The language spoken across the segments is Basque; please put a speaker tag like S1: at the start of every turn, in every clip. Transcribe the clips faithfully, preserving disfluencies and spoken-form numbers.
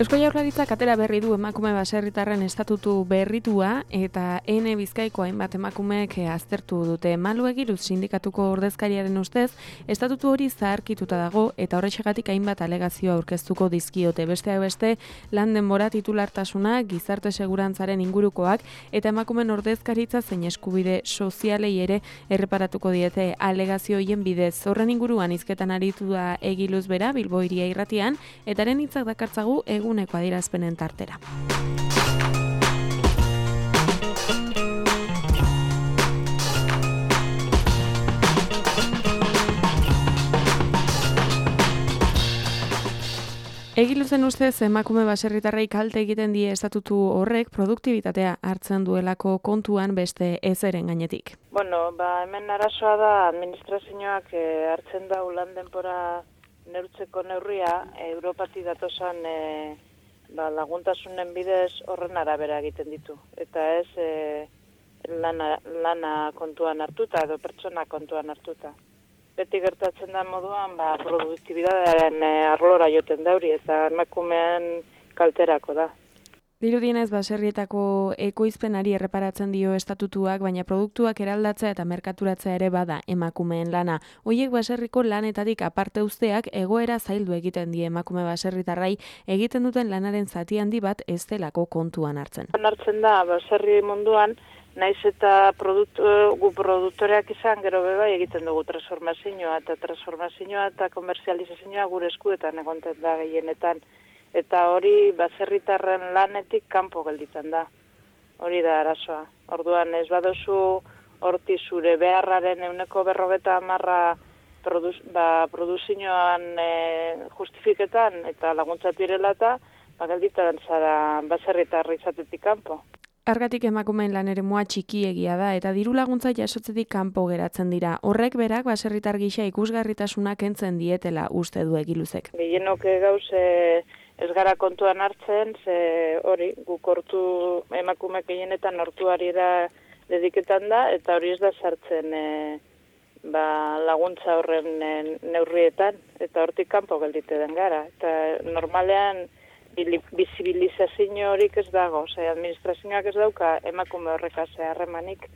S1: Eusko Jaurlaritzak atera berri du emakume baserritarren estatutu berritua eta Ene Bizkaiko hainbat emakumeek aztertu dute. Malu Egiruz sindikatuko ordezkariaren ustez, estatutu hori zaharkituta dago eta horrexegatik hainbat alegazio aurkeztuko dizkiote. Besteak beste, lan denbora titulartasuna, gizarte segurantzaren ingurukoak eta emakumeen ordezkaritza zein eskubide sozialei ere erreparatuko diete alegazio hoien bidez. Horren inguruan hizketan aritu da Egiluz bera Bilbo Hiria Irratian eta haren hitzak dakartzagu eguneko adierazpenen tartera. Egiluzen ustez emakume baserritarrei kalte egiten die estatutu horrek produktibitatea hartzen duelako kontuan beste ezeren gainetik.
S2: Bueno, ba, hemen arazoa da administrazioak eh, hartzen da lan denbora neurtzeko neurria, Europati datosan e, ba, laguntasunen bidez horren arabera egiten ditu. Eta ez e, lana, lana kontuan hartuta edo pertsona kontuan hartuta. Beti gertatzen da moduan ba, produktibidadearen e, arlora joten dauri eta emakumean kalterako da.
S1: Dirudienez baserrietako ekoizpenari erreparatzen dio estatutuak, baina produktuak eraldatzea eta merkaturatzea ere bada emakumeen lana. Hoiek baserriko lanetatik aparte uzteak egoera zaildu egiten die emakume baserritarrai egiten duten lanaren zati handi bat ez delako kontuan hartzen.
S2: Hartzen da baserri munduan, naiz eta produktu, gu produktoreak izan gero beba egiten dugu transformazioa eta transformazioa eta komerzializazioa gure eskuetan egonten da gehienetan. Eta hori baserritarren lanetik kanpo gelditzen da. Hori da arazoa. Orduan ez badozu horti zure beharraren ehuneko berrogeta hamarra produz, ba, produzioan e, justifiketan eta laguntzatu direla eta ba, gelditzen zara baserritarri izatetik kanpo.
S1: Argatik emakumeen lan eremua txikiegia da eta diru laguntza jasotzetik kanpo geratzen dira. Horrek berak baserritar gisa ikusgarritasuna kentzen dietela uste du Egiluzek.
S2: Gehienok gauz e, ez gara kontuan hartzen, ze hori guk hortu emakumeak gehienetan hortuari da dediketan da eta hori ez da sartzen e, ba, laguntza horren e, neurrietan eta hortik kanpo geldite den gara. Eta normalean bizibilizazio horik ez dago, ose, administrazioak ez dauka emakume horrekaz harremanik.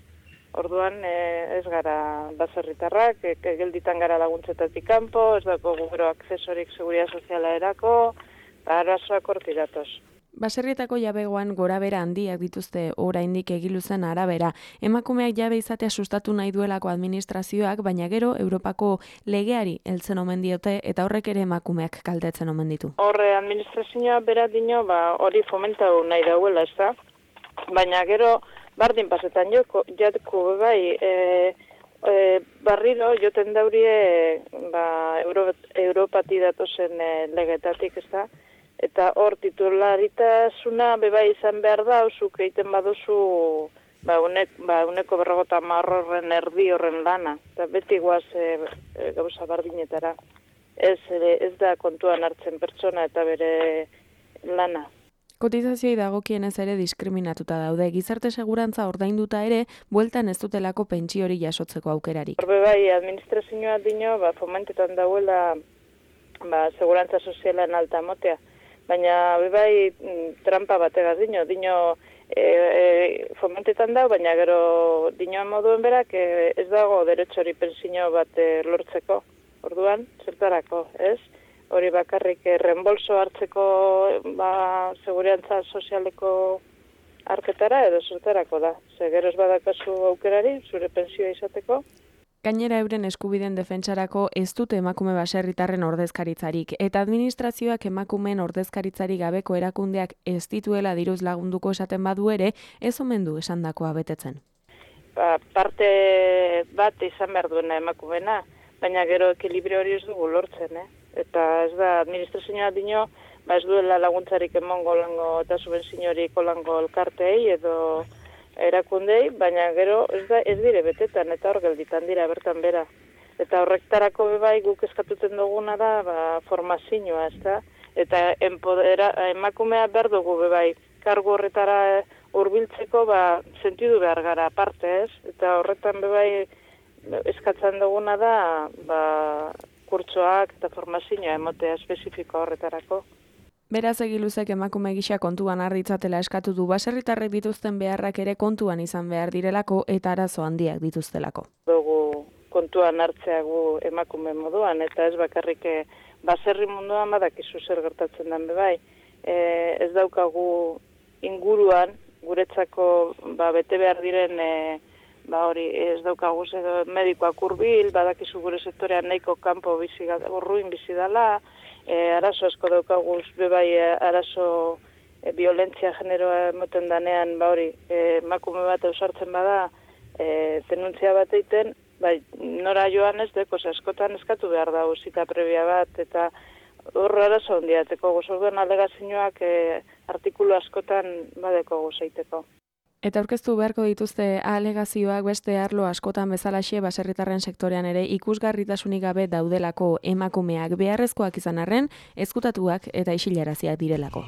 S2: Orduan e, ez gara baserritarrak, e, gelditan gara laguntzetatik kanpo, ez dago gero akzesorik seguridad soziala erako, arazoak hortik datoz.
S1: Baserrietako jabegoan gorabera handiak dituzte oraindik Egiluzen arabera. Emakumeak jabe izatea sustatu nahi duelako administrazioak, baina gero Europako legeari heltzen omen diote eta horrek ere emakumeak kaltetzen omen ditu.
S2: Horre administrazioa bera dino, ba, hori fomentau nahi dauela, ez da? Baina gero bardin pasetan joko, jatko bai, e, e, barriro joten daurie ba, Euro, Europati datozen e, legetatik, ez da? Eta hor titularitasuna beba izan behar da, zuk egiten baduzu ba, unek, ba, uneko berrogota marrorren erdi horren lana. Eta beti guaz e, e, gauza bardinetara. Ez, e, ez da kontuan hartzen pertsona eta bere lana.
S1: Kotizazioi dagokienez ere diskriminatuta daude. Gizarte segurantza ordainduta ere, bueltan ez dutelako pentsio hori jasotzeko aukerarik.
S2: Horbe bai, administrazioa dino, ba, fomentetan dauela ba, segurantza sozialen alta motea. Baina bai trampa bategaz dino, dino e, e, fomentetan dau, baina gero dinoan moduen berak e, ez dago derechori pensio bat e, lortzeko. Orduan, zertarako, ez? Hori bakarrik e, reembolso hartzeko ba, segurantza sozialeko arketara edo zertarako da. Ze gero ez badakazu aukerari, zure pensioa izateko.
S1: Gainera euren eskubideen defentsarako ez dute emakume baserritarren ordezkaritzarik eta administrazioak emakumeen ordezkaritzarik gabeko erakundeak ez dituela diruz lagunduko esaten badu ere, ez omen du esandakoa betetzen.
S2: Ba, parte bat izan behar duena emakumeena, baina gero ekilibrio hori ez dugu lortzen, eh? Eta ez da administrazioa dino, ba ez duela laguntzarik emongo lango eta subventziorik olango elkarteei edo erakundei, baina gero ez da ez dire betetan eta hor gelditan dira bertan bera. Eta horrektarako bai guk eskatuten duguna da ba, formazioa, ezta? Eta empodera, emakumea behar dugu bai kargu horretara hurbiltzeko ba, sentidu behar gara aparte ez, eta horretan bebai eskatzen duguna da ba, kurtsoak eta formazioa emotea espezifiko horretarako.
S1: Beraz egiluzek emakume gisa kontuan harritzatela eskatu du baserritarrek dituzten beharrak ere kontuan izan behar direlako eta arazo handiak dituztelako.
S2: Dugu kontuan hartzea gu emakume moduan eta ez bakarrik baserri munduan badakizu zer gertatzen den bebai. E, ez daukagu inguruan guretzako ba, bete behar diren e, ba hori ez daukagu medikoak hurbil, badakizu gure sektorean nahiko kanpo bizi urruin bizi dela. E, arazo asko daukagu, bebai arazo e, violentzia generoa emoten danean, ba hori, emakume bat eusartzen bada, e, denuntzia bat egiten, bai, nora joan ez deko, askotan eskatu behar da zita prebia bat, eta horro arazo hondiateko, gozorduan alegazioak e, artikulu askotan badeko gozaiteko.
S1: Eta aurkeztu beharko dituzte alegazioak beste arlo askotan bezalaxe baserritarren sektorean ere ikusgarritasunik gabe daudelako emakumeak beharrezkoak izan arren, ezkutatuak eta isilaraziak direlako.